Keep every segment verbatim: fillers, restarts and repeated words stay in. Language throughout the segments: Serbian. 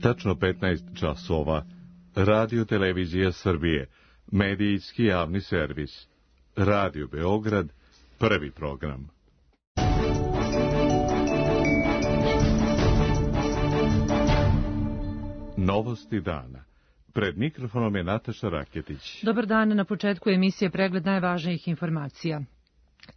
Tačno petnaest časova. Radio Televizija Srbije. Medijski javni servis. Radio Beograd. Prvi program. Novosti dana. Pred mikrofonom je Nataša Raketić. Dobar dan, na početku emisije pregled najvažnijih informacija.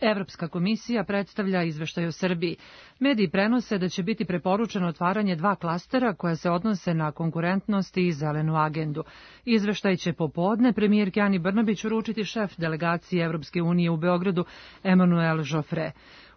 Evropska komisija predstavlja izveštaj o Srbiji. Mediji prenose da će biti preporučeno otvaranje dva klastera koja se odnose na konkurentnost i zelenu agendu. Izveštaj će popodne premijerki Ani Brnabić uručiti šef delegacije Evropske unije u Beogradu Emmanuel Joffre.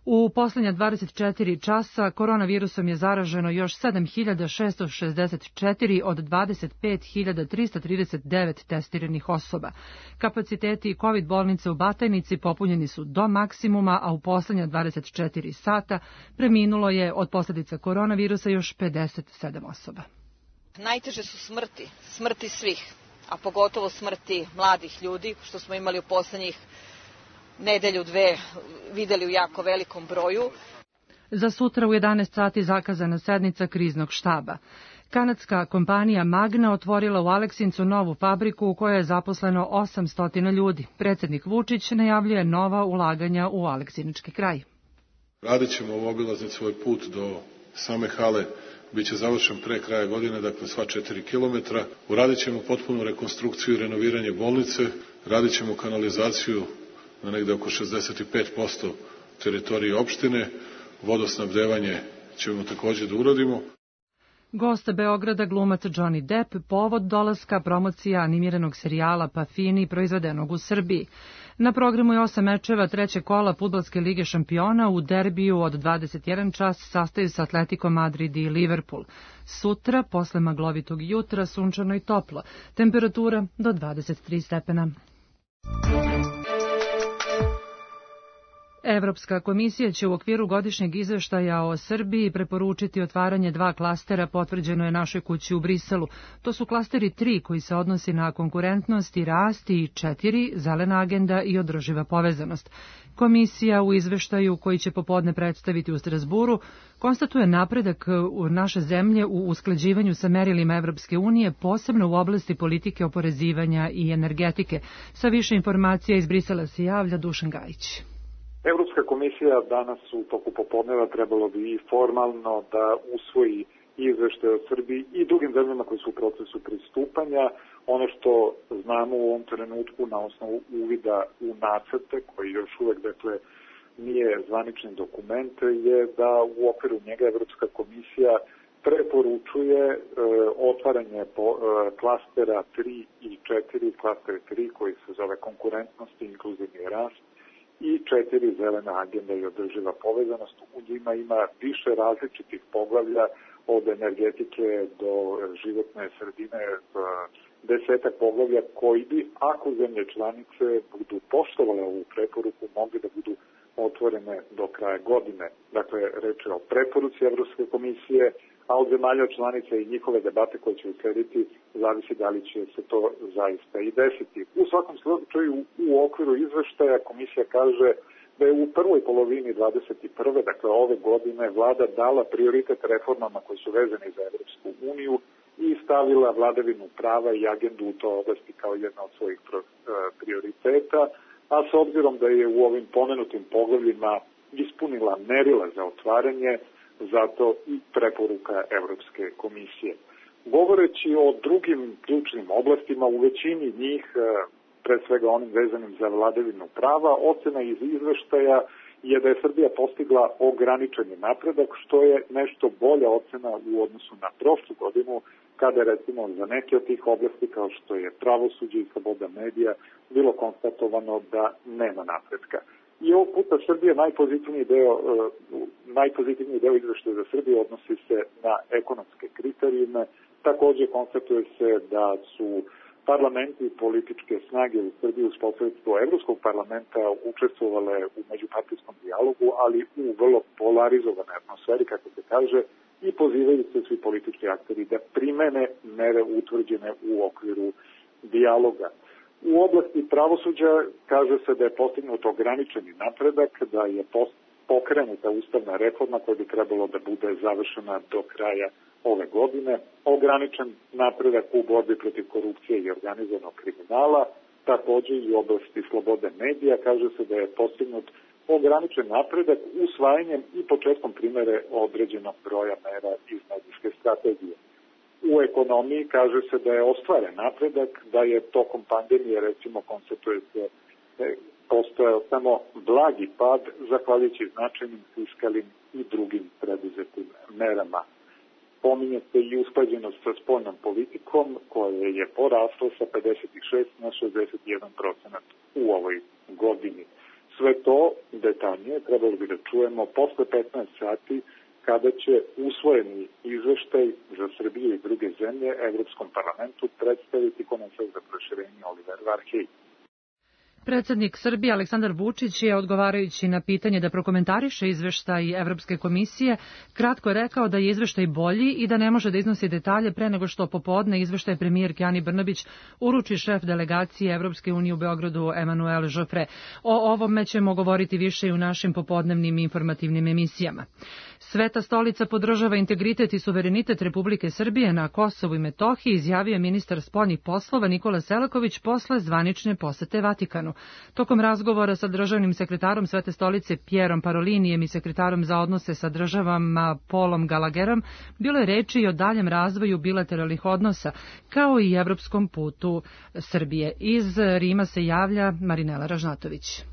U poslednja dvadeset četiri časa koronavirusom je zaraženo još sedam hiljada šesto šezdeset četiri od dvadeset pet hiljada trista trideset devet testiranih osoba. Kapaciteti COVID bolnice u Batajnici popunjeni su do maksimuma, a u poslednja dvadeset četiri sata preminulo je od posljedica koronavirusa još pedeset sedam osoba. Najteže su smrti, smrti svih, a pogotovo smrti mladih ljudi, što smo imali u poslednjih nedelju, dve, videli u jako velikom broju. Za sutra u jedanaest sati zakazana sednica kriznog štaba. Kanadska kompanija Magna otvorila u Aleksincu novu fabriku u kojoj je zaposleno osamsto ljudi. Predsjednik Vučić najavljuje nova ulaganja u aleksinački kraj. Radit ćemo obilaznicu svoj put do same hale, bit će završen pre kraja godine, dakle sva četiri kilometra. Uradit ćemo potpunu rekonstrukciju i renoviranje bolnice, radit ćemo kanalizaciju na negde oko šezdeset pet posto teritorije opštine, vodosnabdevanje ćemo takođe da uradimo. Gost Beograda glumac Johnny Depp, povod dolaska promocija animiranog serijala Pafini proizvedenog u Srbiji. Na programu je osam mečeva trećeg kola Fudbalske lige šampiona. U derbiju od dvadeset jedan čas sastaju se Atletico Madrid i Liverpool. Sutra, posle maglovitog jutra, sunčano i toplo. Temperatura do dvadeset tri stepena. Evropska komisija će u okviru godišnjeg izveštaja o Srbiji preporučiti otvaranje dva klastera, potvrđeno je našoj kući u Briselu. To su klasteri tri koji se odnosi na konkurentnost i rast i četiri zelena agenda i održiva povezanost. Komisija u izveštaju koji će popodne predstaviti u Strasburu konstatuje napredak u naše zemlje u usklađivanju sa merilima Evropske unije, posebno u oblasti politike oporezivanja i energetike. Sa više informacija iz Brisela se javlja Dušan Gajić. Evropska komisija danas u toku popodneva trebalo bi i formalno da usvoji izveštaj o Srbiji i drugim zemljama koji su u procesu pristupanja. Ono što znamo u ovom trenutku na osnovu uvida u nacrte, koji još uvek dakle, nije zvanični dokument, je da u okviru njega Evropska komisija preporučuje e, otvaranje po, e, klastera tri i četiri, klaster tri koji se zove konkurentnost i inkluzivni rast, i četiri zelena agenda i održiva povezanost. U njima ima više različitih poglavlja, od energetike do životne sredine, desetak poglavlja koji bi, ako zemlje članice budu poštovale ovu preporuku, mogli da budu otvorene do kraja godine. Dakle, reč je o preporuci Evropske komisije, a od zemalja članica i njihove debate koje će uslediti zavisi da li će se to zaista i desiti. U svakom slučaju, u okviru izveštaja komisija kaže da je u prvoj polovini dvadeset prve, dakle ove godine, vlada dala prioritet reformama koji su vezani za Evropsku uniju i stavila vladavinu prava i agendu u toj oblasti kao jedna od svojih prioriteta, a s obzirom da je u ovim pomenutim poglavljima ispunila merila za otvaranje, zato i preporuka Evropske komisije. Govoreći o drugim ključnim oblastima, u većini njih, pre svega onim vezanim za vladavinu prava, ocena iz izveštaja je da je Srbija postigla ograničeni napredak, što je nešto bolja ocena u odnosu na prošlu godinu, kada je recimo za neke od tih oblasti, kao što je pravosuđe i sloboda medija, bilo konstatovano da nema napredka. I ovog puta Srbija najpozitivniji deo, najpozitivniji deo izveštaja za Srbiju odnosi se na ekonomske kriterijume. Takođe konstatuje se da su parlamenti i političke snage u Srbiji uz posredstvo Evropskog parlamenta učestvovale u međupartijskom dijalogu, ali u vrlo polarizovanoj atmosferi, kako se kaže, i pozivaju se svi politički akteri da primene mere utvrđene u okviru dijaloga. U oblasti pravosuđa kaže se da je postignut ograničeni napredak, da je pokrenuta ustavna reforma koja bi trebalo da bude završena do kraja ove godine, ograničen napredak u borbi protiv korupcije i organizovanog kriminala, takođe i u oblasti slobode medija. Kaže se da je postignut ograničen napredak usvajanjem i početkom primere određenog broja mera iz medijske strategije. U ekonomiji kaže se da je ostvaren napredak, da je tokom pandemije, recimo, konstatuje se postojao samo blagi pad zahvaljujući značajnim fiskalnim i drugim preduzetim merama. Pominje se i usklađenost sa spoljnom politikom koja je porasla sa pedeset šest na šezdeset jedan procenat u ovoj godini. Sve to detaljnije trebalo bi da čujemo posle petnaest sati kada će usvojeni izveštaj za Srbiju i druge zemlje Evropskom parlamentu predstaviti komesar za proširenje Oliver Varhej. Predsednik Srbije Aleksandar Vučić je, odgovarajući na pitanje da prokomentariše izveštaj Evropske komisije, kratko je rekao da je izveštaj bolji i da ne može da iznosi detalje pre nego što popodne izveštaj premijerke Ani Brnabić uruči šef delegacije Evropske unije u Beogradu Emanuel Joffre. O ovome ćemo govoriti više i u našim popodnevnim informativnim emisijama. Sveta stolica podržava integritet i suverenitet Republike Srbije na Kosovu i Metohiji, izjavio ministar spoljnih poslova Nikola Selaković posle zvanične posete Vatikanu. Tokom razgovora sa državnim sekretarom Svete stolice Pierom Parolinijem i sekretarom za odnose sa državama Paulom Gallagherom bilo je reči i o daljem razvoju bilateralnih odnosa, kao i evropskom putu Srbije. Iz Rima se javlja Marinela Ražnatović.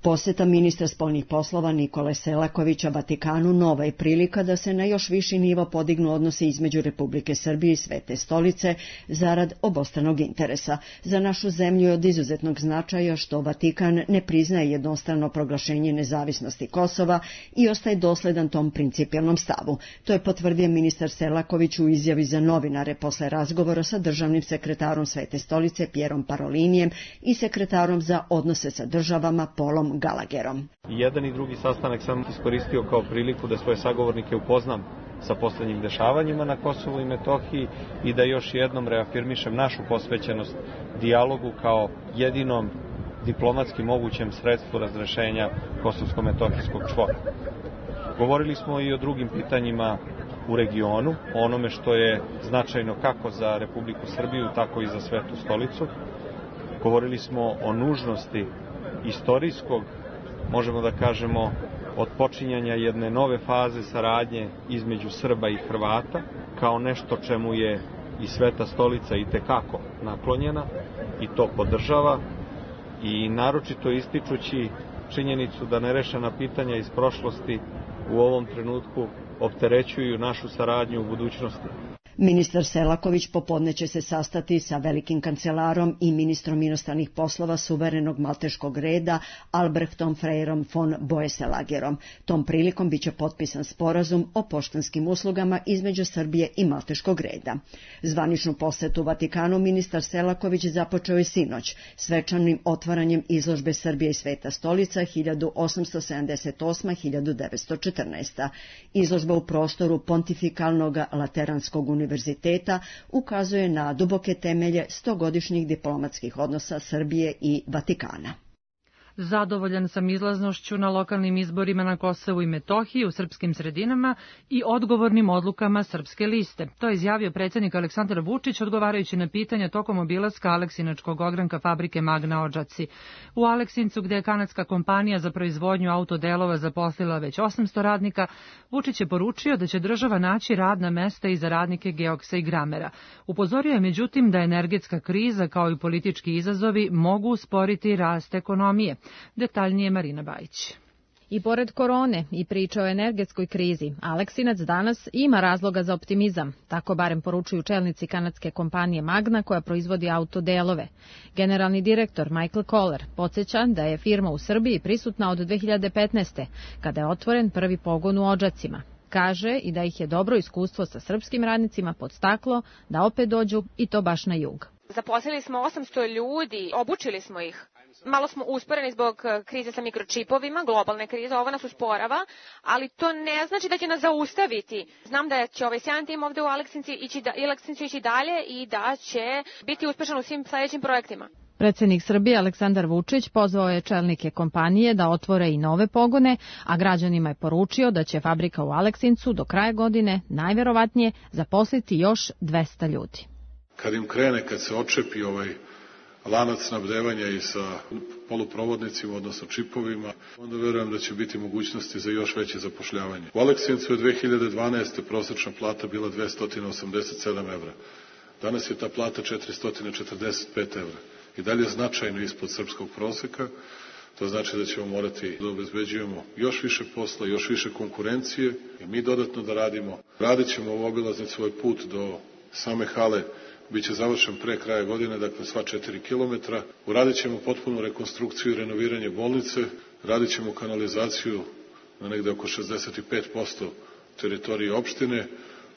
Poseta ministra spoljnih poslova Nikole Selakovića Vatikanu nova je prilika da se na još viši nivo podignu odnosi između Republike Srbije i Svete stolice zarad obostranog interesa. Za našu zemlju je od izuzetnog značaja što Vatikan ne priznaje jednostrano proglašenje nezavisnosti Kosova i ostaje dosledan tom principijelnom stavu. To je potvrdio ministar Selaković u izjavi za novinare posle razgovora sa državnim sekretarom Svete stolice Pierom Parolinijem i sekretarom za odnose sa državama Paulom Gallagherom. Jedan i drugi sastanak sam iskoristio kao priliku da svoje sagovornike upoznam sa poslednjim dešavanjima na Kosovu i Metohiji i da još jednom reafirmišem našu posvećenost dijalogu kao jedinom diplomatski mogućem sredstvu razrešenja kosovsko-metohijskog čvora. Govorili smo i o drugim pitanjima u regionu, o onome što je značajno kako za Republiku Srbiju, tako i za Svetu stolicu. Govorili smo o nužnosti istorijskog, možemo da kažemo, otpočinjanja jedne nove faze saradnje između Srba i Hrvata, kao nešto čemu je i Sveta stolica itekako naklonjena i to podržava, i naročito ističući činjenicu da nerešena pitanja iz prošlosti u ovom trenutku opterećuju našu saradnju u budućnosti. Ministar Selaković popodne će se sastati sa velikim kancelarom i ministrom inostranih poslova suverenog malteškog reda Albrechtom Freirom von Boeselagerom. Tom prilikom biće potpisan sporazum o poštanskim uslugama između Srbije i malteškog reda. Zvaničnu posetu Vatikanu ministar Selaković započeo je sinoć svečanim otvaranjem izložbe Srbije i Sveta stolica hiljadu osamsto sedamdeset osma do hiljadu devetsto četrnaesta. Izložba u prostoru Pontifikalnog Lateranskog univerziteta univerziteta ukazuje na duboke temelje stogodišnjih diplomatskih odnosa Srbije i Vatikana. Zadovoljan sam izlaznošću na lokalnim izborima na Kosovu i Metohiji u srpskim sredinama i odgovornim odlukama Srpske liste. To je izjavio predsjednik Aleksandar Vučić odgovarajući na pitanja tokom obilaska Aleksinačkog ogranka fabrike Magna Odžaci. U Aleksincu, gde je kanadska kompanija za proizvodnju autodelova zaposlila već osamsto radnika, Vučić je poručio da će država naći radna mesta i za radnike Geoksa i Gramera. Upozorio je međutim da energetska kriza kao i politički izazovi mogu usporiti rast ekonomije. Detaljnije Marina Bajić. I pored korone i priče o energetskoj krizi, Aleksinac danas ima razloga za optimizam, tako barem poručuju čelnici kanadske kompanije Magna koja proizvodi autodelove. Generalni direktor Michael Kohler podsjeća da je firma u Srbiji prisutna od dve hiljade petnaeste. kada je otvoren prvi pogon u Odžacima. Kaže i da ih je dobro iskustvo sa srpskim radnicima podstaklo da opet dođu i to baš na jug. Zaposlili smo osamsto ljudi, obučili smo ih. Malo smo usporeni zbog krize sa mikročipovima, globalne krize, ovo nas usporava, ali to ne znači da će nas zaustaviti. Znam da će ovaj sjajan tim ovde u Aleksincu ići, da, Aleksincu ići dalje i da će biti uspešan u svim sledećim projektima. Predsednik Srbije Aleksandar Vučić pozvao je čelnike kompanije da otvore i nove pogone, a građanima je poručio da će fabrika u Aleksincu do kraja godine najverovatnije zaposliti još dvesta ljudi. Kad im krene, kad se očepi ovaj lanac snabdevanja i sa poluprovodnicima, odnosno čipovima, onda verujem da će biti mogućnosti za još veće zapošljavanje. U Aleksincu je dve hiljade dvanaeste. prosečna plata bila dvesta osamdeset sedam evra. Danas je ta plata četiristo četrdeset pet evra. I dalje značajno ispod srpskog proseka. To znači da ćemo morati da obezbeđujemo još više posla, još više konkurencije i mi dodatno da radimo. Radit ćemo u obilaznici svoj put do same hale, biće završen pre kraja godine, dakle sva četiri kilometra. Uradit ćemo potpunu rekonstrukciju i renoviranje bolnice, radit ćemo kanalizaciju na negde oko šezdeset pet posto teritorije opštine,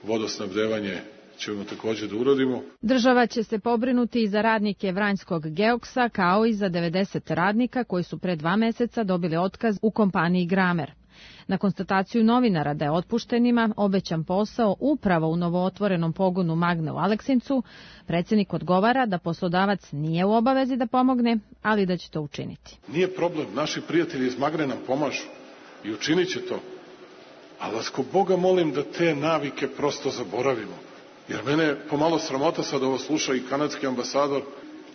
vodosnabdevanje ćemo takođe da uradimo. Država će se pobrinuti i za radnike Vranjskog Geoksa, kao i za devedeset radnika koji su pre dva meseca dobili otkaz u kompaniji Gramer. Na konstataciju novinara da je otpuštenima obećan posao upravo u novootvorenom pogonu Magne u Aleksincu, predsednik odgovara da poslodavac nije u obavezi da pomogne, ali da će to učiniti. Nije problem, naši prijatelji iz Magne nam pomažu i učinit će to. Ali vas ko Boga molim da te navike prosto zaboravimo. Jer mene pomalo sramota sad ovo sluša i kanadski ambasador.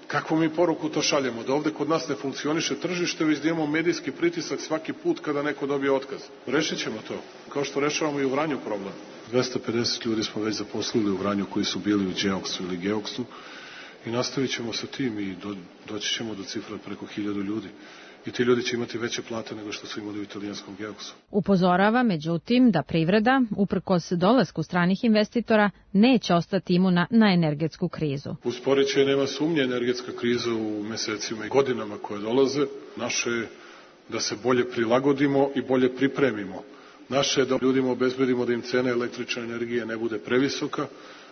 Kakvu mi poruku to šaljemo? Da ovde kod nas ne funkcioniše tržište, već da imamo medijski pritisak svaki put kada neko dobije otkaz. Rešit ćemo to, kao što rešavamo i u Vranju problem. dvesta pedeset ljudi smo već zaposlili u Vranju koji su bili u Geoksu ili Geoksu i nastavit ćemo sa tim i do, doći ćemo do cifra preko hiljadu ljudi. I ti ljudi će imati veće plate nego što su imali u italijanskom Geoksu. Upozorava, međutim, da privreda, uprkos dolasku stranih investitora, neće ostati imuna na energetsku krizu. Usporit će, nema sumnje, energetska kriza u mesecima i godinama koje dolaze. Naše je da se bolje prilagodimo i bolje pripremimo. Naše je da ljudima obezbedimo da im cena električne energije ne bude previsoka,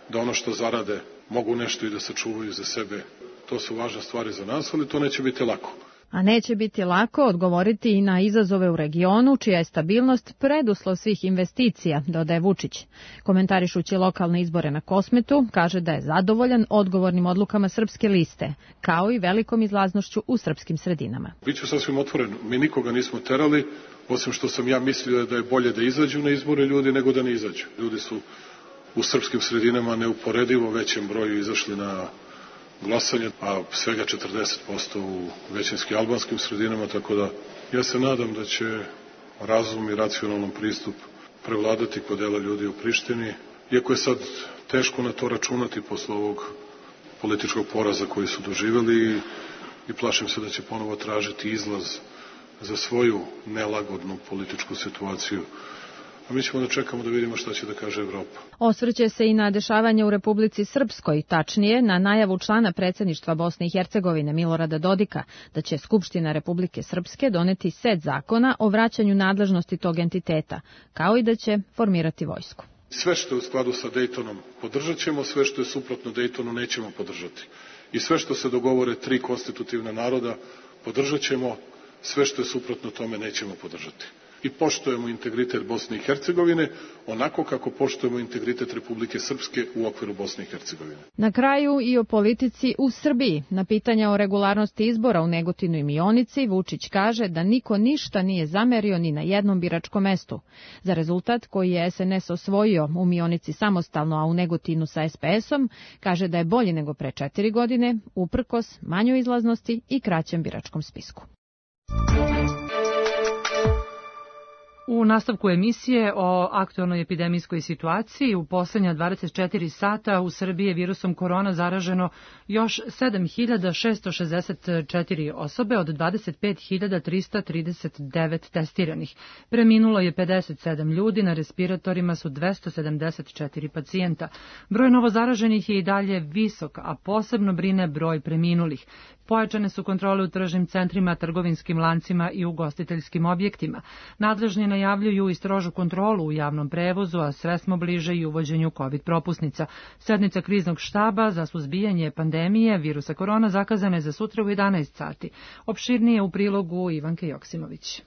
da ono što zarade mogu nešto i da sačuvaju za sebe. To su važne stvari za nas, ali to neće biti lako. A neće biti lako odgovoriti i na izazove u regionu, čija je stabilnost preduslov svih investicija, dodaje Vučić. Komentarišući lokalne izbore na Kosmetu, kaže da je zadovoljan odgovornim odlukama Srpske liste, kao i velikom izlaznošću u srpskim sredinama. Biću sasvim otvoren, mi nikoga nismo terali, osim što sam ja mislio da je bolje da izađu na izbore ljudi nego da ne izađu. Ljudi su u srpskim sredinama neuporedivo većem broju izašli na glasanje, a svega četrdeset posto u većinski albanskim sredinama, tako da ja se nadam da će razum i racionalan pristup prevladati kod dela ljudi u Prištini, iako je sad teško na to računati posle ovog političkog poraza koji su doživeli i plašim se da će ponovo tražiti izlaz za svoju nelagodnu političku situaciju. A mi ćemo da čekamo da vidimo šta će da kaže Evropa. Osvrće se i na dešavanje u Republici Srpskoj, tačnije na najavu člana predsjedništva Bosne i Hercegovine Milorada Dodika da će Skupština Republike Srpske doneti set zakona o vraćanju nadležnosti tog entiteta, kao i da će formirati vojsku. Sve što je u skladu sa Dejtonom podržat ćemo, sve što je suprotno Dejtonu nećemo podržati. I sve što se dogovore tri konstitutivna naroda podržat ćemo, sve što je suprotno tome nećemo podržati. I poštujemo integritet Bosne i Hercegovine onako kako poštujemo integritet Republike Srpske u okviru Bosne i Hercegovine. Na kraju i o politici u Srbiji. Na pitanja o regularnosti izbora u Negotinu i Mionici Vučić kaže da niko ništa nije zamerio ni na jednom biračkom mestu. Za rezultat koji je es en es osvojio u Mionici samostalno, a u Negotinu sa es pe esom, kaže da je bolji nego pre četiri godine, uprkos manjoj izlaznosti i kraćem biračkom spisku. U nastavku emisije o aktualnoj epidemijskoj situaciji u poslednja dvadeset četiri sata u Srbiji je virusom korona zaraženo još sedam hiljada šesto šezdeset četiri osobe od dvadeset pet hiljada trista trideset devet testiranih. Preminulo je pedeset sedam ljudi, na respiratorima su dvesta sedamdeset četiri pacijenta. Broj novozaraženih je i dalje visok, a posebno brine broj preminulih. Pojačane su kontrole u tržnim centrima, trgovinskim lancima i ugostiteljskim objektima. Nadležni najavljuju i strožu kontrolu u javnom prevozu, a sve smo bliže i uvođenju COVID propusnica. Sednica kriznog štaba za suzbijanje pandemije virusa korona zakazana je za sutra u jedanaest sati. Opširnije u prilogu Ivanke Joksimović.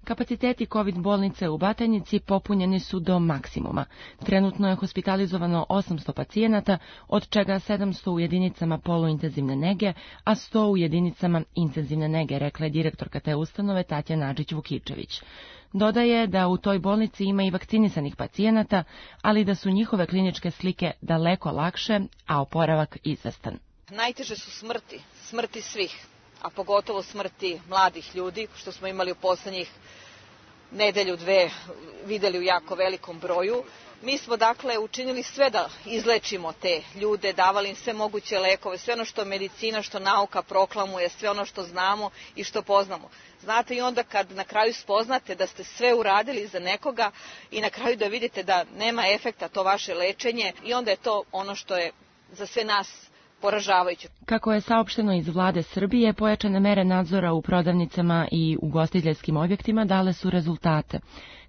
Kapaciteti COVID bolnice u Batajnici popunjeni su do maksimuma. Trenutno je hospitalizovano osamsto pacijenata, od čega sedamsto u jedinicama poluintenzivne nege, a sto u jedinicama intenzivne nege, rekla je direktorka te ustanove Tatjana Adžić-Vukičević. Dodaje da u toj bolnici ima i vakcinisanih pacijenata, ali da su njihove kliničke slike daleko lakše, a oporavak izvestan. Najteže su smrti, smrti svih, a pogotovo smrti mladih ljudi, što smo imali u poslednjih nedelju, dve, videli u jako velikom broju. Mi smo dakle učinili sve da izlečimo te ljude, davali im sve moguće lekove, sve ono što medicina, što nauka proklamuje, sve ono što znamo i što poznamo. Znate, i onda kad na kraju spoznate da ste sve uradili za nekoga i na kraju da vidite da nema efekta to vaše lečenje, i onda je to ono što je za sve nas poražavajuće. Kako je saopšteno iz vlade Srbije, pojačane mere nadzora u prodavnicama i ugostiteljskim objektima dale su rezultate.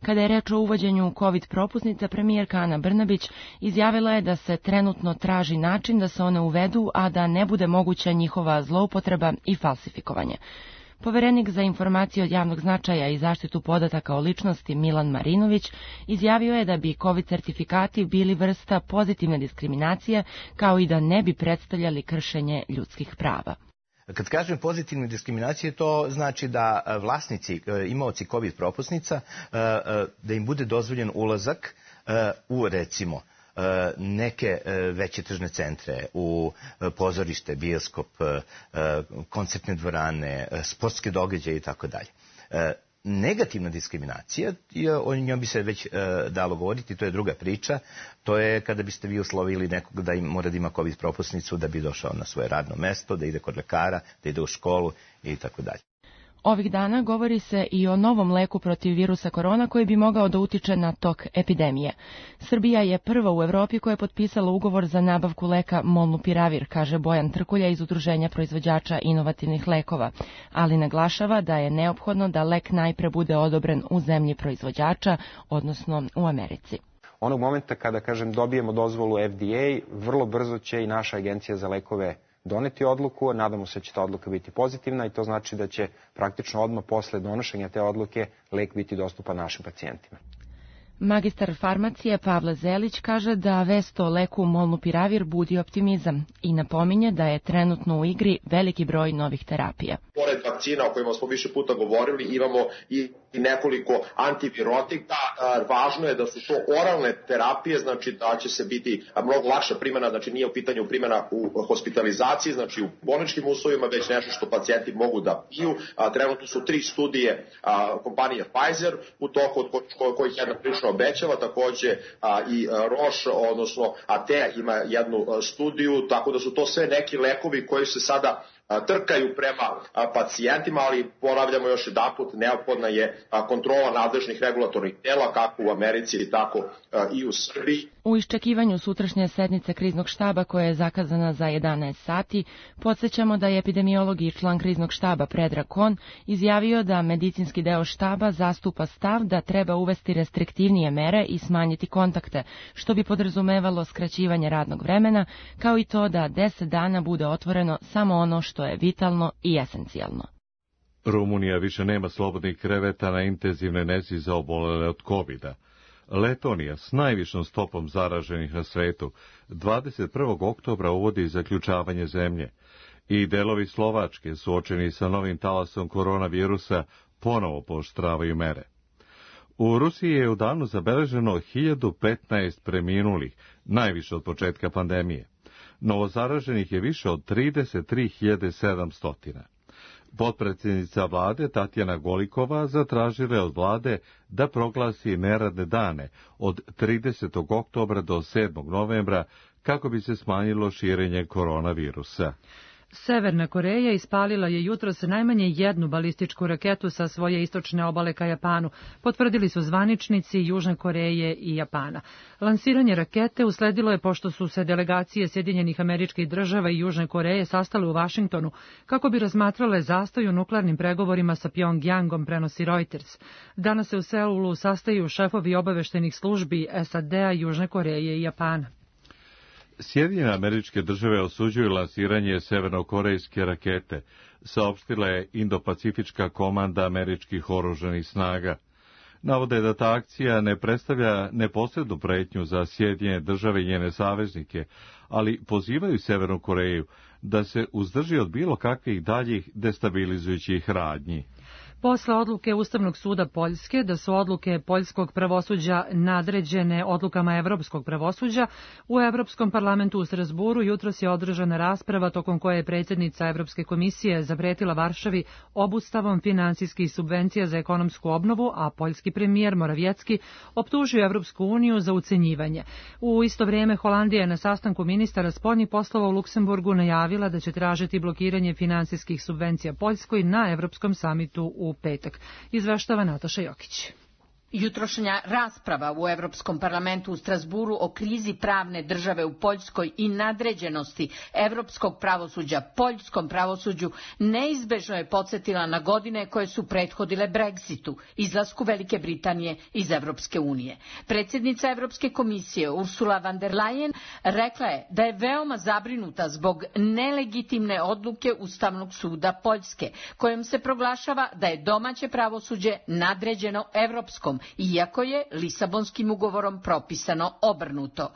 Kada je reč o uvođenju COVID propusnica, premijerka Ana Brnabić izjavila je da se trenutno traži način da se one uvedu, a da ne bude moguća njihova zloupotreba i falsifikovanje. Poverenik za informacije od javnog značaja i zaštitu podataka o ličnosti Milan Marinović izjavio je da bi COVID certifikati bili vrsta pozitivne diskriminacije, kao i da ne bi predstavljali kršenje ljudskih prava. Kad kažem pozitivne diskriminacije, to znači da vlasnici, imaoci COVID propusnica, da im bude dozvoljen ulazak u, recimo, neke veće tržne centre, u pozorište, bioskop, koncertne dvorane, sportske događaje i tako dalje. Negativna diskriminacija, o njoj bi se već dalo govoriti, to je druga priča, to je kada biste vi uslovili nekog da im mora da ima COVID propusnicu da bi došao na svoje radno mesto, da ide kod lekara, da ide u školu i tako dalje. Ovih dana govori se i o novom leku protiv virusa korona koji bi mogao da utiče na tok epidemije. Srbija je prva u Evropi koja je potpisala ugovor za nabavku leka Molnupiravir, kaže Bojan Trkulja iz Udruženja proizvođača inovativnih lekova, ali naglašava da je neophodno da lek najpre bude odobren u zemlji proizvođača, odnosno u Americi. Onog momenta kada, kažem, dobijemo dozvolu F D A, vrlo brzo će i naša agencija za lekove doneti odluku, nadamo se da će ta odluka biti pozitivna i to znači da će praktično odmah posle donošenja te odluke lek biti dostupan našim pacijentima. Magistar farmacije Pavle Zelić kaže da vest o leku Molnupiravir budi optimizam i napominje da je trenutno u igri veliki broj novih terapija. Pored vakcina o kojima smo više puta govorili, imamo i nekoliko antivirotika. Važno je da su to oralne terapije, znači da će se biti mnogo lakša primjena, znači nije u pitanju primjena u hospitalizaciji, znači u bolničkim uslovima, već nešto što pacijenti mogu da piju. Trenutno su tri studije kompanije Pfizer u toku, od kojih jedna prilično obećava, takođe i Roche, odnosno A T E ima jednu studiju, tako da su to sve neki lekovi koji se sada trkaju prema pacijentima, ali ponavljamo još jedanput, neophodna je kontrola nadležnih regulatornih tela, kako u Americi, tako i u Srbiji. U iščekivanju sutrašnje sednice kriznog štaba koja je zakazana za jedanaest sati, podsjećamo da je epidemiolog i član kriznog štaba Predrag Kon izjavio da medicinski deo štaba zastupa stav da treba uvesti restriktivnije mere i smanjiti kontakte, što bi podrazumevalo skraćivanje radnog vremena, kao i to da deset dana bude otvoreno samo ono što je vitalno i esencijalno. Rumunija više nema slobodnih kreveta na intenzivnoj nezi za obolele od kovida. Letonija s najvišom stopom zaraženih na svetu dvadeset prvog oktobra uvodi zaključavanje zemlje i delovi Slovačke suočeni sa novim talasom koronavirusa ponovo pooštravaju mere. U Rusiji je u danu zabeleženo hiljadu petnaest preminulih, najviše od početka pandemije. Novozaraženih je više od trideset tri hiljade sedamsto. Potpredsjednica vlade Tatjana Golikova zatražila je od vlade da proglasi neradne dane od tridesetog oktobra do sedmog novembra kako bi se smanjilo širenje koronavirusa. Severna Koreja ispalila je jutros najmanje jednu balističku raketu sa svoje istočne obale ka Japanu, potvrdili su zvaničnici Južne Koreje i Japana. Lansiranje rakete usledilo je pošto su se delegacije Sjedinjenih Američkih Država i Južne Koreje sastale u Vašingtonu kako bi razmatrale zastoj u nuklearnim pregovorima sa Pjongjangom, prenosi Reuters. Danas se u Seulu sastaju šefovi obaveštajnih službi S A D-a, Južne Koreje i Japana. Sjedinjene Američke Države osuđuju lansiranje severnokorejske rakete, saopštila je Indo-Pacifička komanda američkih oružanih snaga. Navode da ta akcija ne predstavlja neposrednu pretnju za Sjedinjene države i njene saveznike, ali pozivaju Severnu Koreju da se uzdrži od bilo kakvih daljih destabilizujućih radnji. Posle odluke Ustavnog suda Poljske da su odluke poljskog pravosuđa nadređene odlukama evropskog pravosuđa, u Evropskom parlamentu u Strazburu jutros je održana rasprava tokom koje je predsjednica Evropske komisije zapretila Varšavi obustavom finansijskih subvencija za ekonomsku obnovu, a poljski premijer Morawiecki optužio Evropsku uniju za ucenjivanje. U isto vrijeme Holandija je na sastanku ministara spoljnih poslova u Luksemburgu najavila da će tražiti blokiranje finansijskih subvencija Poljskoj na Evropskom samitu u petak. Izveštava Nataša Jokić. Jutrošnja rasprava u Evropskom parlamentu u Strazburu o krizi pravne države u Poljskoj i nadređenosti evropskog pravosuđa poljskom pravosuđu neizbežno je podsjetila na godine koje su prethodile Brexitu, izlasku Velike Britanije iz Evropske unije. Predsjednica Evropske komisije Ursula von der Leyen rekla je da je veoma zabrinuta zbog nelegitimne odluke Ustavnog suda Poljske, kojom se proglašava da je domaće pravosuđe nadređeno evropskom, iako je Lisabonskim ugovorom propisano obrnuto.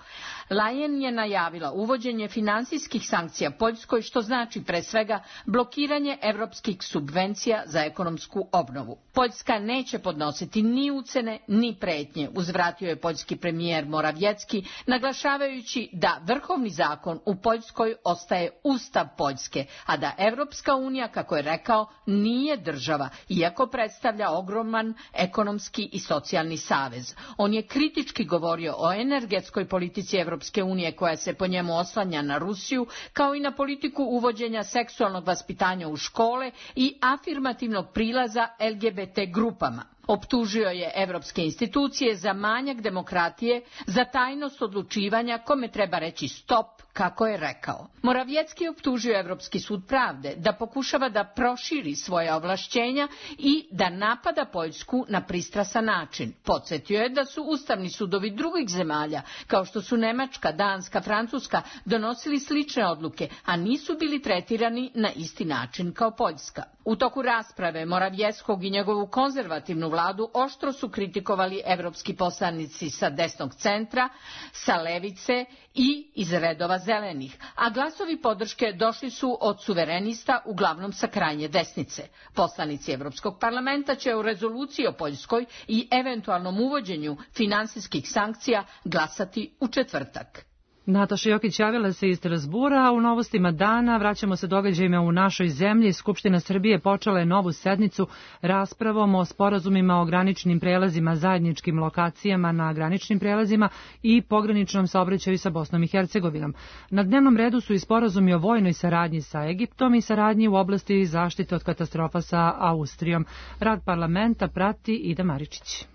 Leyen je najavila uvođenje finansijskih sankcija Poljskoj, što znači pre svega blokiranje evropskih subvencija za ekonomsku obnovu. Poljska neće podnositi ni ucene ni pretnje, uzvratio je poljski premijer Morawiecki, naglašavajući da vrhovni zakon u Poljskoj ostaje Ustav Poljske, a da Evropska unija, kako je rekao, nije država, iako predstavlja ogroman ekonomski i socijalni savez. On je kritički govorio o energetskoj politici Evropske unije koja se po njemu oslanja na Rusiju, kao i na politiku uvođenja seksualnog vaspitanja u škole i afirmativnog prilaza L G B T grupama. Optužio je evropske institucije za manjak demokratije, za tajnost odlučivanja kome treba reći stop, kako je rekao. Morawiecki je optužio Evropski sud pravde da pokušava da proširi svoje ovlašćenja i da napada Poljsku na pristrasan način. Podsjetio je da su ustavni sudovi drugih zemalja, kao što su Nemačka, Danska, Francuska, donosili slične odluke, a nisu bili tretirani na isti način kao Poljska. U toku rasprave Morawieckog i njegovu konzervativnu vladu oštro su kritikovali evropski poslanici sa desnog centra, sa levice i iz redova zelenih, a glasovi podrške došli su od suverenista, uglavnom sa krajnje desnice. Poslanici Evropskog parlamenta će u rezoluciji o Poljskoj i eventualnom uvođenju finansijskih sankcija glasati u četvrtak. Nataša Jokić javila se iz Strazbura, a u novostima dana vraćamo se događajima u našoj zemlji. Skupština Srbije počela je novu sednicu raspravom o sporazumima o graničnim prelazima, zajedničkim lokacijama na graničnim prelazima i pograničnom saobraćaju sa Bosnom i Hercegovinom. Na dnevnom redu su i sporazumi o vojnoj saradnji sa Egiptom i saradnji u oblasti zaštite od katastrofa sa Austrijom. Rad parlamenta prati Ida Maričić.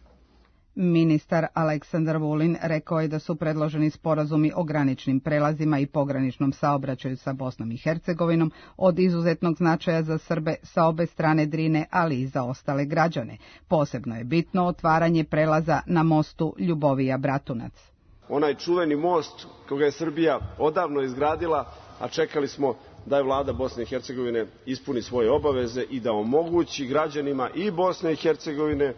Ministar Aleksandar Vulin rekao je da su predloženi sporazumi o graničnim prelazima i pograničnom saobraćaju sa Bosnom i Hercegovinom od izuzetnog značaja za Srbe sa obe strane Drine, ali i za ostale građane. Posebno je bitno otvaranje prelaza na mostu Ljubovija-Bratunac. Onaj čuveni most koga je Srbija odavno izgradila, a čekali smo da je vlada Bosne i Hercegovine ispuni svoje obaveze i da omogući građanima i Bosne i Hercegovine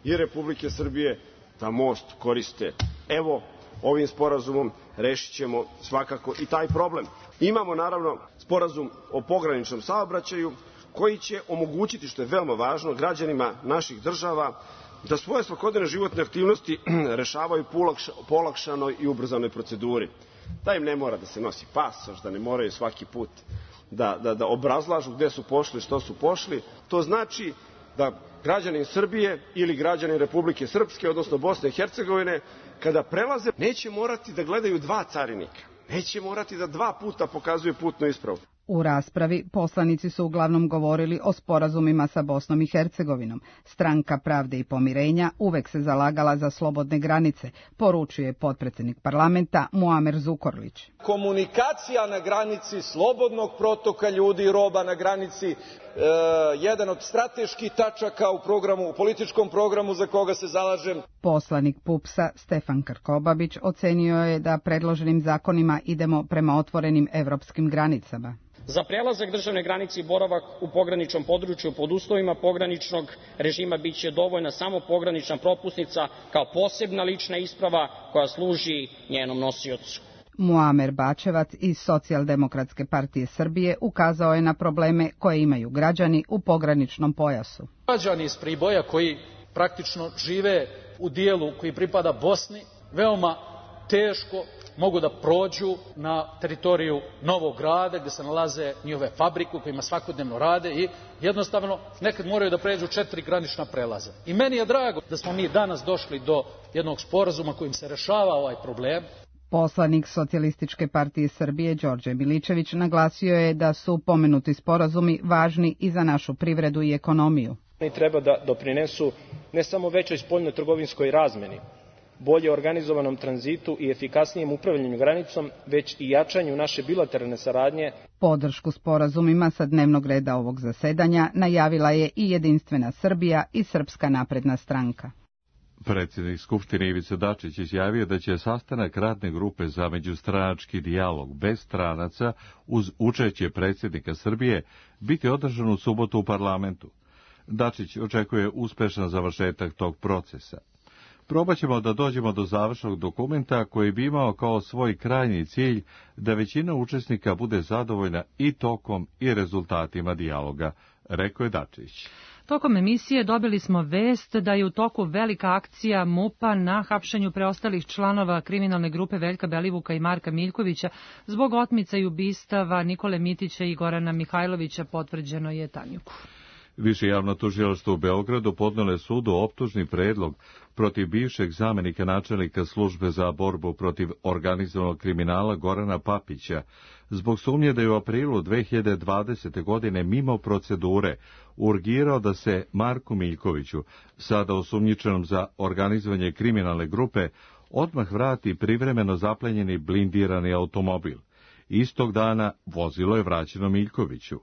i Republike Srbije da most koriste. Evo, ovim sporazumom rešit ćemo svakako i taj problem. Imamo naravno sporazum o pograničnom saobraćaju koji će omogućiti, što je veoma važno, građanima naših država da svoje svakodnevne životne aktivnosti rešavaju po olakšanoj i ubrzanoj proceduri. Da im ne mora da se nosi pasoš, da ne moraju svaki put da, da, da obrazlažu gde su pošli, što su pošli. To znači da građanin Srbije ili građanin Republike Srpske, odnosno Bosne i Hercegovine, kada prelaze, neće morati da gledaju dva carinika. Neće morati da dva puta pokazuju putnu ispravu. U raspravi poslanici su uglavnom govorili o sporazumima sa Bosnom i Hercegovinom. Stranka Pravde i pomirenja uvek se zalagala za slobodne granice, poručuje potpredsjednik parlamenta Muamer Zukorlić. Komunikacija na granici, slobodnog protoka ljudi i roba na granici, jedan od strateških tačaka u programu, u političkom programu za koga se zalažem. Poslanik PUPS-a Stefan Krkobabić ocenio je da predloženim zakonima idemo prema otvorenim evropskim granicama. Za prelazak državne granice i boravak u pograničnom području pod uslovima pograničnog režima biće dovoljna samo pogranična propusnica kao posebna lična isprava koja služi njenom nosiocu. Muamer Bačevac iz Socijaldemokratske partije Srbije ukazao je na probleme koje imaju građani u pograničnom pojasu. Građani iz Priboja koji praktično žive u dijelu koji pripada Bosni veoma teško mogu da prođu na teritoriju Novog Grada gdje se nalaze njihove fabrike u kojima svakodnevno rade i jednostavno nekad moraju da pređu četiri granična prelaza. I meni je drago da smo mi danas došli do jednog sporazuma kojim se rešava ovaj problem. Poslanik Socijalističke partije Srbije Đorđe Miličević naglasio je da su pomenuti sporazumi važni i za našu privredu i ekonomiju. Oni treba da doprinesu ne samo većoj spoljno-trgovinskoj razmeni, bolje organizovanom tranzitu i efikasnijem upravljanju granicom, već i jačanju naše bilateralne saradnje. Podršku sporazumima sa dnevnog reda ovog zasedanja najavila je i Jedinstvena Srbija i Srpska napredna stranka. Predsjednik Skupštine Ivica Dačić izjavio da će sastanak radne grupe za međustranački dijalog bez stranaca uz učešće predsjednika Srbije biti održan u subotu u parlamentu. Dačić očekuje uspešan završetak tog procesa. Probat ćemo da dođemo do završnog dokumenta koji bi imao kao svoj krajnji cilj da većina učesnika bude zadovoljna i tokom i rezultatima dijaloga, rekao je Dačić. Tokom emisije dobili smo vest da je u toku velika akcija MUP-a na hapšenju preostalih članova kriminalne grupe Veljka Belivuka i Marka Miljkovića zbog otmica i ubistava Nikole Mitića i Gorana Mihajlovića, potvrđeno je Tanjuku. Više javno tužilaštvo u Beogradu podnelo je sudu optužni predlog protiv bivšeg zamenika načelnika službe za borbu protiv organizovanog kriminala Gorana Papića zbog sumnje da je u aprilu dve hiljade dvadesete. godine mimo procedure urgirao da se Marku Miljkoviću, sada osumnjičenom za organizovanje kriminalne grupe, odmah vrati privremeno zaplenjeni blindirani automobil. Istog dana vozilo je vraćeno Miljkoviću.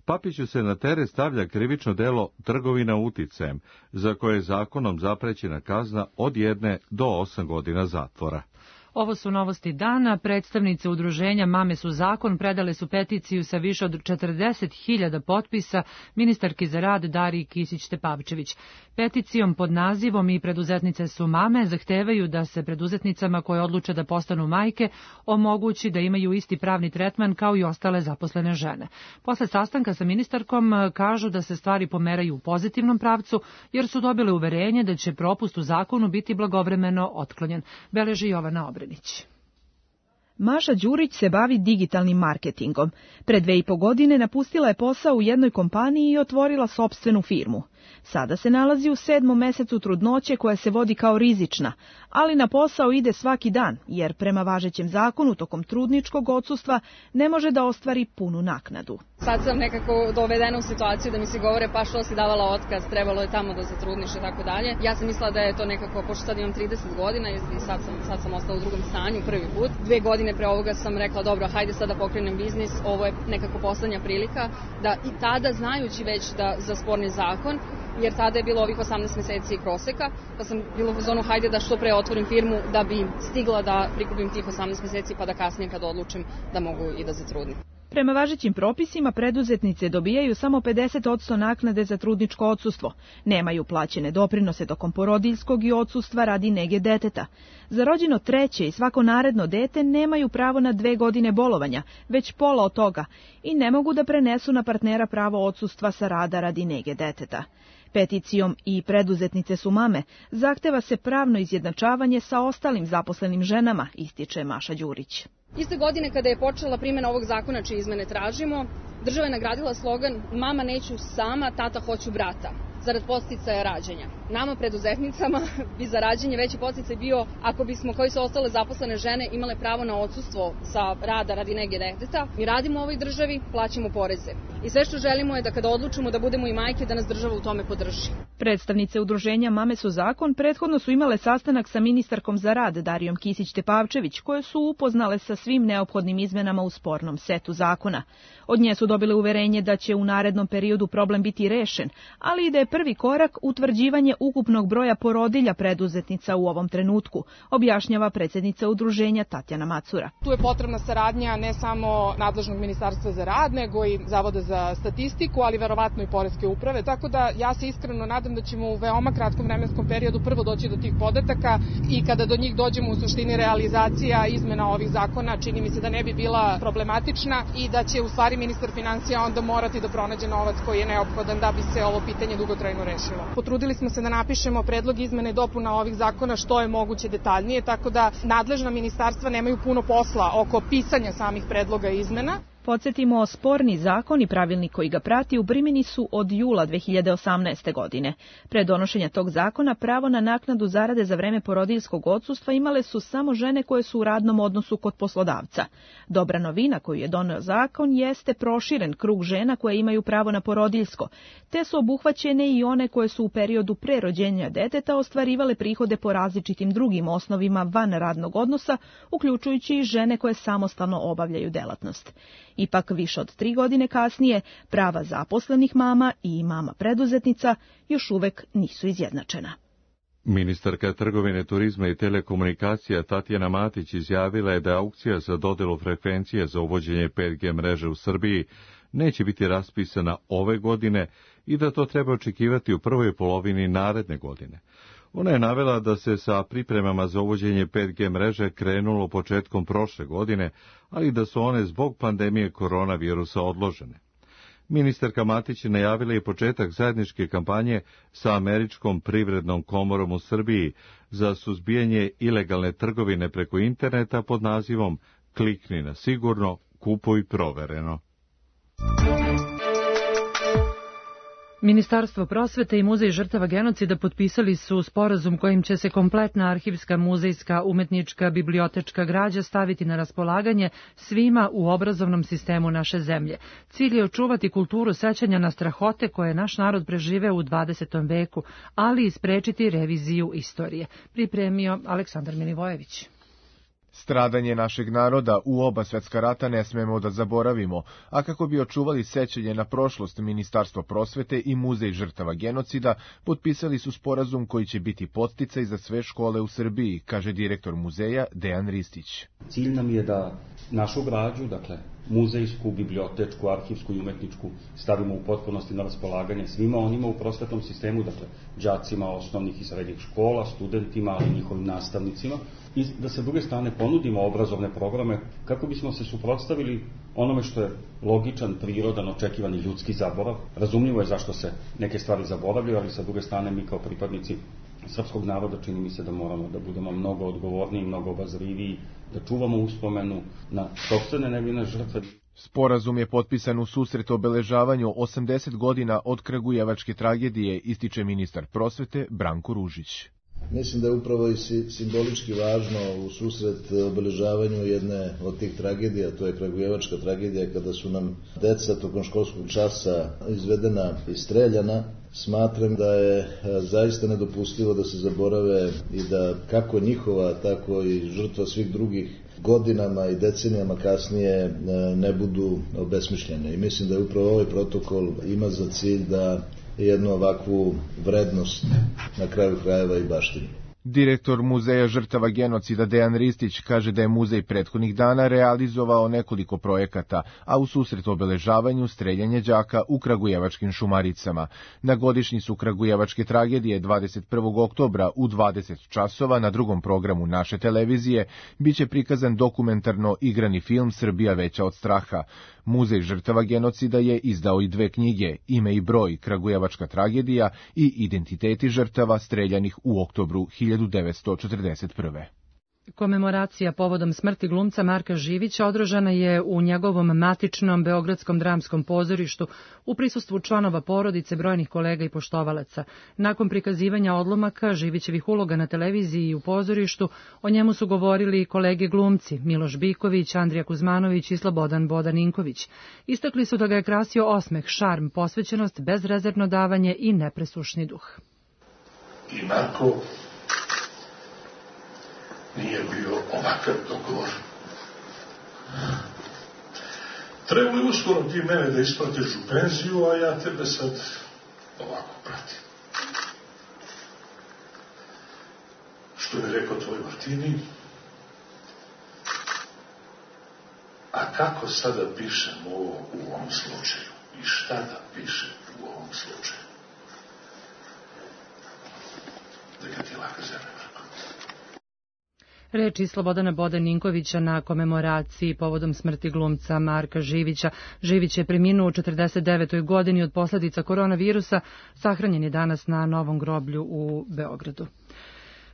Papiću se na teret stavlja krivično delo trgovina uticajem, za koje je zakonom zaprećena kazna od jedne do osam godina zatvora. Ovo su novosti dana. Predstavnice udruženja Mame su zakon predale su peticiju sa više od četrdeset hiljada potpisa ministarki za rad Dariji Kisić-Tepavčević. Peticijom pod nazivom I preduzetnice su mame zahtevaju da se preduzetnicama koje odluče da postanu majke omogući da imaju isti pravni tretman kao i ostale zaposlene žene. Posle sastanka sa ministarkom kažu da se stvari pomeraju u pozitivnom pravcu jer su dobile uverenje da će propust u zakonu biti blagovremeno otklonjen, beleži Jovana Obrenić. Maša Đurić se bavi digitalnim marketingom. Pre dve i po godine napustila je posao u jednoj kompaniji i otvorila sopstvenu firmu. Sada se nalazi u sedmom mesecu trudnoće koja se vodi kao rizična, ali na posao ide svaki dan, jer prema važećem zakonu tokom trudničkog odsustva ne može da ostvari punu naknadu. Sad sam nekako dovedena u situaciju da mi se govore pa što si davala otkaz, trebalo je tamo da se trudniš i tako dalje. Ja sam mislila da je to nekako, pošto sad imam trideset godina i sad sam, sad sam ostala u drugom stanju prvi put. Dve godine pre ovoga sam rekla dobro, hajde sad da pokrenem biznis, ovo je nekako poslednja prilika da i tada znajući već da za sporni zakon, jer tada je bilo ovih osamnaest meseci proseka, pa sam bila u zonu hajde da što pre otvorim firmu da bi stigla da prikupim tih osamnaest meseci pa da kasnije kad odlučim da mogu i da zatrudnim. Prema važećim propisima preduzetnice dobijaju samo pedeset posto naknade za trudničko odsustvo. Nemaju plaćene doprinose tokom porodiljskog i odsustva radi nege deteta. Za rođeno treće i svako naredno dete nemaju pravo na dve godine bolovanja, već pola od toga, i ne mogu da prenesu na partnera pravo odsustva sa rada radi nege deteta. Peticijom I preduzetnice su mame zahteva se pravno izjednačavanje sa ostalim zaposlenim ženama, ističe Maša Đurić. Iste godine kada je počela primjena ovog zakona čije izmene tražimo, država je nagradila slogan Mama neću sama, tata hoću brata, zarad podsticaja rađanja. Nama, preduzetnicama, bi za rađanje veći podsticaj bio ako bismo, kao i su ostale zaposlene žene, imale pravo na odsustvo sa rada radi nege deteta. Mi radimo u ovoj državi, plaćamo poreze. i sve što želimo je da kada odlučimo da budemo i majke, da nas država u tome podrži. Predstavnice udruženja Mame su zakon prethodno su imale sastanak sa ministarkom za rad Darijom Kisić-Tepavčević, koje su upoznale sa svim neophodnim izmenama u spornom setu zakona. Od nje su dobile uverenje da će u narednom periodu problem biti rešen, ali i da je prvi korak utvrđivanje ukupnog broja porodilja preduzetnica u ovom trenutku, objašnjava predsjednica udruženja Tatjana Macura. Tu je potrebna saradnja ne samo nadležnog ministarstva za rad, nego i Zavoda za statistiku, ali verovatno i poreske uprave, tako da ja se iskreno nadam da ćemo u veoma kratkom vremenskom periodu prvo doći do tih podataka i kada do njih dođemo u suštini realizacija izmena ovih zakona, čini mi se da ne bi bila problematična i da će u stvari ministar finansija onda morati da pronađe novac koji je neophodan da bi se ovo pitanje dugotrajno rešilo. Potrudili smo se da napišemo predlog izmene i dopuna ovih zakona što je moguće detaljnije, tako da nadležna ministarstva nemaju puno posla oko pisanja samih predloga izmena. Podsjetimo, sporni zakon i pravilnik koji ga prati u primjeni su od jula dve hiljade osamnaeste. godine. Pre donošenja tog zakona pravo na naknadu zarade za vreme porodiljskog odsustva imale su samo žene koje su u radnom odnosu kod poslodavca. Dobra novina koju je doneo zakon jeste proširen krug žena koje imaju pravo na porodiljsko, te su obuhvaćene i one koje su u periodu pre rođenja deteta ostvarivale prihode po različitim drugim osnovima van radnog odnosa, uključujući i žene koje samostalno obavljaju delatnost. Ipak više od tri godine kasnije prava zaposlenih mama i mama preduzetnica još uvek nisu izjednačena. Ministarka trgovine, turizma i telekomunikacija Tatjana Matić izjavila je da aukcija za dodelu frekvencije za uvođenje pet G mreže u Srbiji neće biti raspisana ove godine i da to treba očekivati u prvoj polovini naredne godine. Ona je navela da se sa pripremama za uvođenje pet G mreže krenulo početkom prošle godine, ali da su one zbog pandemije koronavirusa odložene. Ministarka Matić je najavila i početak zajedničke kampanje sa Američkom privrednom komorom u Srbiji za suzbijanje ilegalne trgovine preko interneta pod nazivom Klikni na sigurno, kupuj provereno. Ministarstvo prosvete i Muzej žrtava genocida potpisali su sporazum kojim će se kompletna arhivska, muzejska, umetnička, bibliotečka građa staviti na raspolaganje svima u obrazovnom sistemu naše zemlje. Cilj je očuvati kulturu sećanja na strahote koje je naš narod preživeo u dvadesetom veku, ali i sprečiti reviziju istorije. Pripremio Aleksandar Milivojević. Stradanje našeg naroda u oba svetska rata ne smemo da zaboravimo, a kako bi očuvali sećanje na prošlost, Ministarstvo prosvete i Muzej žrtava genocida potpisali su sporazum koji će biti podsticaj za sve škole u Srbiji, kaže direktor muzeja Dejan Ristić. Cilj nam je da našu građu, dakle muzejsku, bibliotečku, arhivsku i umetničku, stavimo u potpunosti na raspolaganje svima onima u prosvetnom sistemu, dakle đacima osnovnih i srednjih škola, studentima, ali i njihovim nastavnicima, i da se s druge strane ponudimo obrazovne programe kako bismo se suprotstavili onome što je logičan, prirodan, očekivani ljudski zaborav. Razumljivo je zašto se neke stvari zaboravljaju, ali sa druge strane mi kao pripadnici srpskog naroda čini mi se da moramo da budemo mnogo odgovorniji, mnogo obazriviji, da čuvamo uspomenu na sopstvene nevine žrtve. Sporazum je potpisan u susret obeležavanju osamdeset godina od kragujevačke tragedije, ističe ministar prosvete Branko Ružić. Mislim da je upravo i simbolički važno u susret obeležavanju jedne od tih tragedija, to je kragujevačka tragedija, kada su nam deca tokom školskog časa izvedena i streljana. Smatram da je zaista nedopustivo da se zaborave i da kako njihova, tako i žrtva svih drugih godinama i decenijama kasnije ne budu obesmišljene. I mislim da je upravo ovaj protokol ima za cilj da jednu ovakvu vrednost na kraju krajeva i baštini. Direktor Muzeja žrtava genocida Dejan Ristić kaže da je muzej prethodnih dana realizovao nekoliko projekata, a u susret obeležavanju streljanje đaka u kragujevačkim Šumaricama. Na godišnjicu kragujevačke tragedije dvadeset prvog oktobra u dvadeset časova na drugom programu naše televizije biće prikazan dokumentarno igrani film Srbija veća od straha. Muzej žrtava genocida je izdao i dve knjige, Ime i broj, kragujevačka tragedija i Identiteti žrtava streljanih u oktobru hiljadu devetsto četrdeset prve. Komemoracija povodom smrti glumca Marka Živića održana je u njegovom matičnom Beogradskom dramskom pozorištu u prisustvu članova porodice, brojnih kolega i poštovalaca. Nakon prikazivanja odlomaka Živićevih uloga na televiziji i u pozorištu, o njemu su govorili kolege glumci Miloš Biković, Andrija Kuzmanović i Slobodan Bodaninković. Istakli su da ga je krasio osmeh, šarm, posvećenost, bezrezervno davanje i nepresušni duh. I Marko nije bio ovakav dogovor. Trebalo je uskoro ti mene da isplatiš u penziju, a ja tebe sad ovako pratim. Što je rekao tvoj Martini? A kako sada pišem ovo u ovom slučaju? I šta da pišem u ovom slučaju? Da ga ti laka zemlja. Reči Slobodana Bodaninkovića na komemoraciji povodom smrti glumca Marka Živića. Živić je preminuo u četrdeset devetoj godini od posljedica koronavirusa. Sahranjen je danas na novom groblju u Beogradu.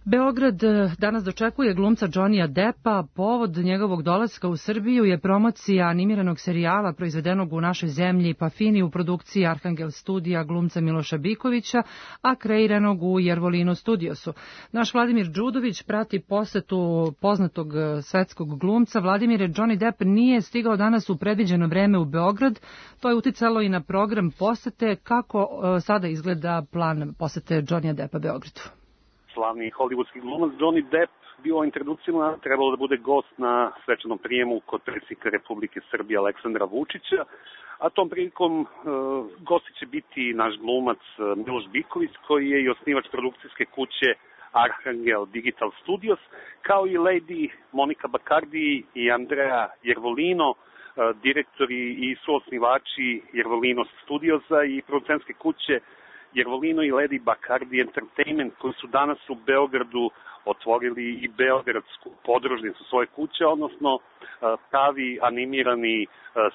Beograd danas dočekuje glumca Johnnyja Deppa. Povod njegovog dolaska u Srbiju je promocija animiranog serijala proizvedenog u našoj zemlji Pafini u produkciji Arhangel studija glumca Miloša Bikovića, a kreiranog u Jervolino Studiosu. Naš Vladimir Đudović prati posetu poznatog svetskog glumca. Vladimire, Johnny Depp nije stigao danas u predviđeno vreme u Beograd. To je uticalo i na program posete. Kako sada izgleda plan posete Johnnyja Deppa Beogradu? Slavni hollywoodski glumac Johnny Depp bio ovim trenucima trebalo da bude gost na svečanom prijemu kod predsjednika Republike Srbije Aleksandra Vučića, a tom prilikom e, gosti će biti naš glumac Miloš Biković, koji je i osnivač produkcijske kuće Arhangel Digital Studios, kao i Lady Monika Bakardi i Andrea Jervolino, e, direktori i suosnivači Jervolino Studiosa i producentske kuće Jervolino i Lady Bacardi Entertainment, koji su danas u Beogradu otvorili i beogradsku podružnicu svoje kuće, odnosno pravi animirani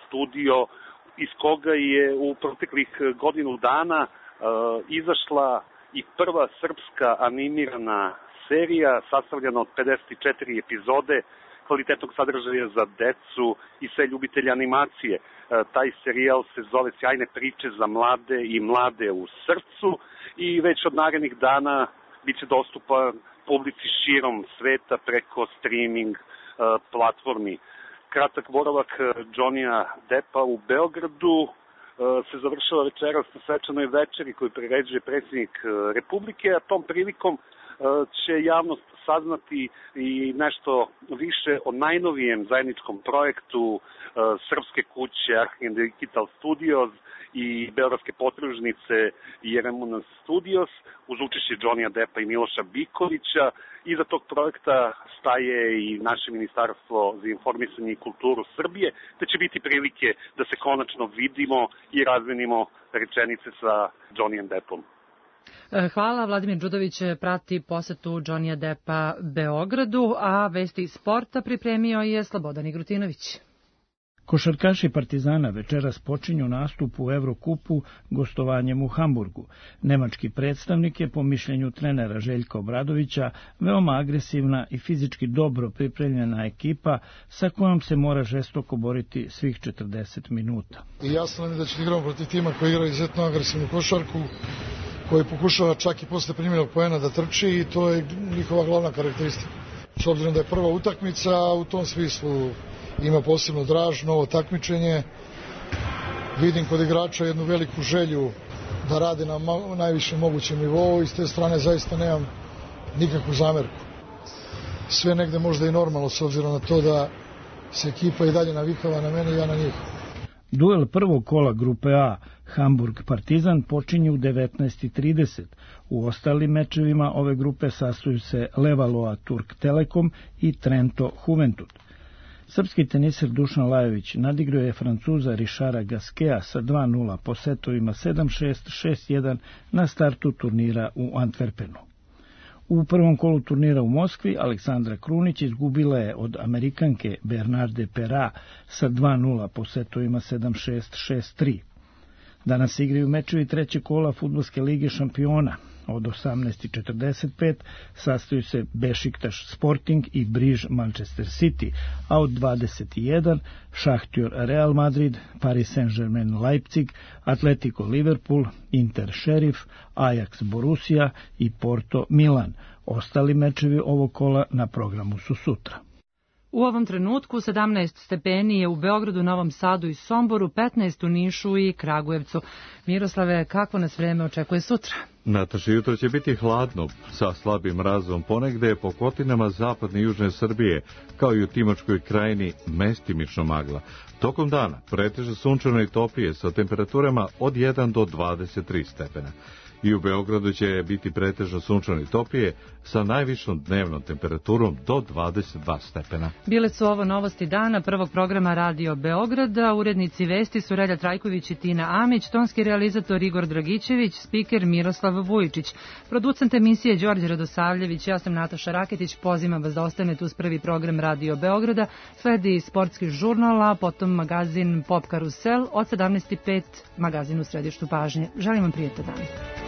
studio iz koga je u proteklih godinu dana izašla i prva srpska animirana serija sastavljena od pedeset četiri epizode kvalitetnog sadržaja za decu i sve ljubitelje animacije. Taj serijal se zove Sjajne priče za mlade i mlade u srcu i već od narednih dana bit će dostupan publici širom sveta preko streaming platformi. Kratak boravak Johnnyja Deppa u Beogradu se završava večeras na svečanoj večeri koju priređuje predsjednik Republike, a tom prilikom će javnost saznati i nešto više o najnovijem zajedničkom projektu uh, srpske kuće Arhangel Digital Studios i beogradske podružnice Jervolino Studios uz učešće Johnnyja Deppa i Miloša Bikovića. Iza tog projekta staje i naše Ministarstvo za informisanje i kulturu Srbije, da će biti prilike da se konačno vidimo i razmenimo rečenice sa Johnnyjem Deppom. Hvala. Vladimir Đudović prati posetu Johnnyja Deppa Beogradu, a vesti sporta pripremio je Slobodan Igrutinović. Košarkaši Partizana večeras počinju nastup u Evrokupu gostovanjem u Hamburgu. Nemački predstavnik je, po mišljenju trenera Željka Obradovića, veoma agresivna i fizički dobro pripremljena ekipa sa kojom se mora žestoko boriti svih četrdeset minuta. I jasno nam je da će igramo protiv tima koji igra izuzetno agresivnu košarku, koji pokušava čak i posle primjenog poena da trči i to je njihova glavna karakteristika. S obzirom da je prva utakmica, u tom smislu ima posebno draž, novo takmičenje. Vidim kod igrača jednu veliku želju da rade na najvišem mogućem nivou i s te strane zaista nemam nikakvu zamerku. Sve negde možda i normalno s obzirom na to da se ekipa i dalje navikava na mene i ja na njih. Duel prvog kola grupe A Hamburg-Partizan počinje u devetnaest i trideset. U ostalim mečevima ove grupe sastoju se Levalloa Turk Telekom i Trento Juventud. Srpski teniser Dušan Lajović nadigrao je Francuza Richara Gasqueta sa dva nula po setovima sedam šest, šest jedan na startu turnira u Antwerpenu. U prvom kolu turnira u Moskvi Aleksandra Krunić izgubila je od Amerikanke Bernarde Pera sa dva nula po setovima sedam šest, šest tri. Danas igraju mečevi trećeg kola Fudbalske lige šampiona. Od osamnaest i četrdeset pet sastaju se Bešiktaš Sporting i Briž Manchester City, a od dvadeset jedan Šahtjor Real Madrid, Paris Saint-Germain Leipzig, Atletico Liverpool, Inter Šerif, Ajax Borussia i Porto Milan. Ostali mečevi ovog kola na programu su sutra. U ovom trenutku sedamnaest stepeni je u Beogradu, Novom Sadu i Somboru, petnaest u Nišu i Kragujevcu. Miroslave, kako nas vreme očekuje sutra? Nataša, jutro će biti hladno, sa slabim mrazom ponegde po kotinama zapadne i južne Srbije, kao i u Timočkoj krajini mestimično magla. Tokom dana preteže sunčano i toplije sa temperaturama od jedan do dvadeset tri stepena. I u Beogradu će biti pretežno sunčano i toplije sa najvišom dnevnom temperaturom do dvadeset dva stepena. Bile su ovo novosti dana prvog programa Radio Beograda. Urednici vesti su Relja Trajković i Tina Amić, tonski realizator Igor Dragićević, spiker Miroslav Vujičić, producent emisije Đorđe Radosavljević, ja sam Nataša Raketić. Pozivam vas da ostanete uz prvi program Radio Beograda. Sledi sportski žurnal, a potom magazin Pop Karusel od sedamnaest i pet, magazin u središtu pažnje. Želim vam prijetan dan.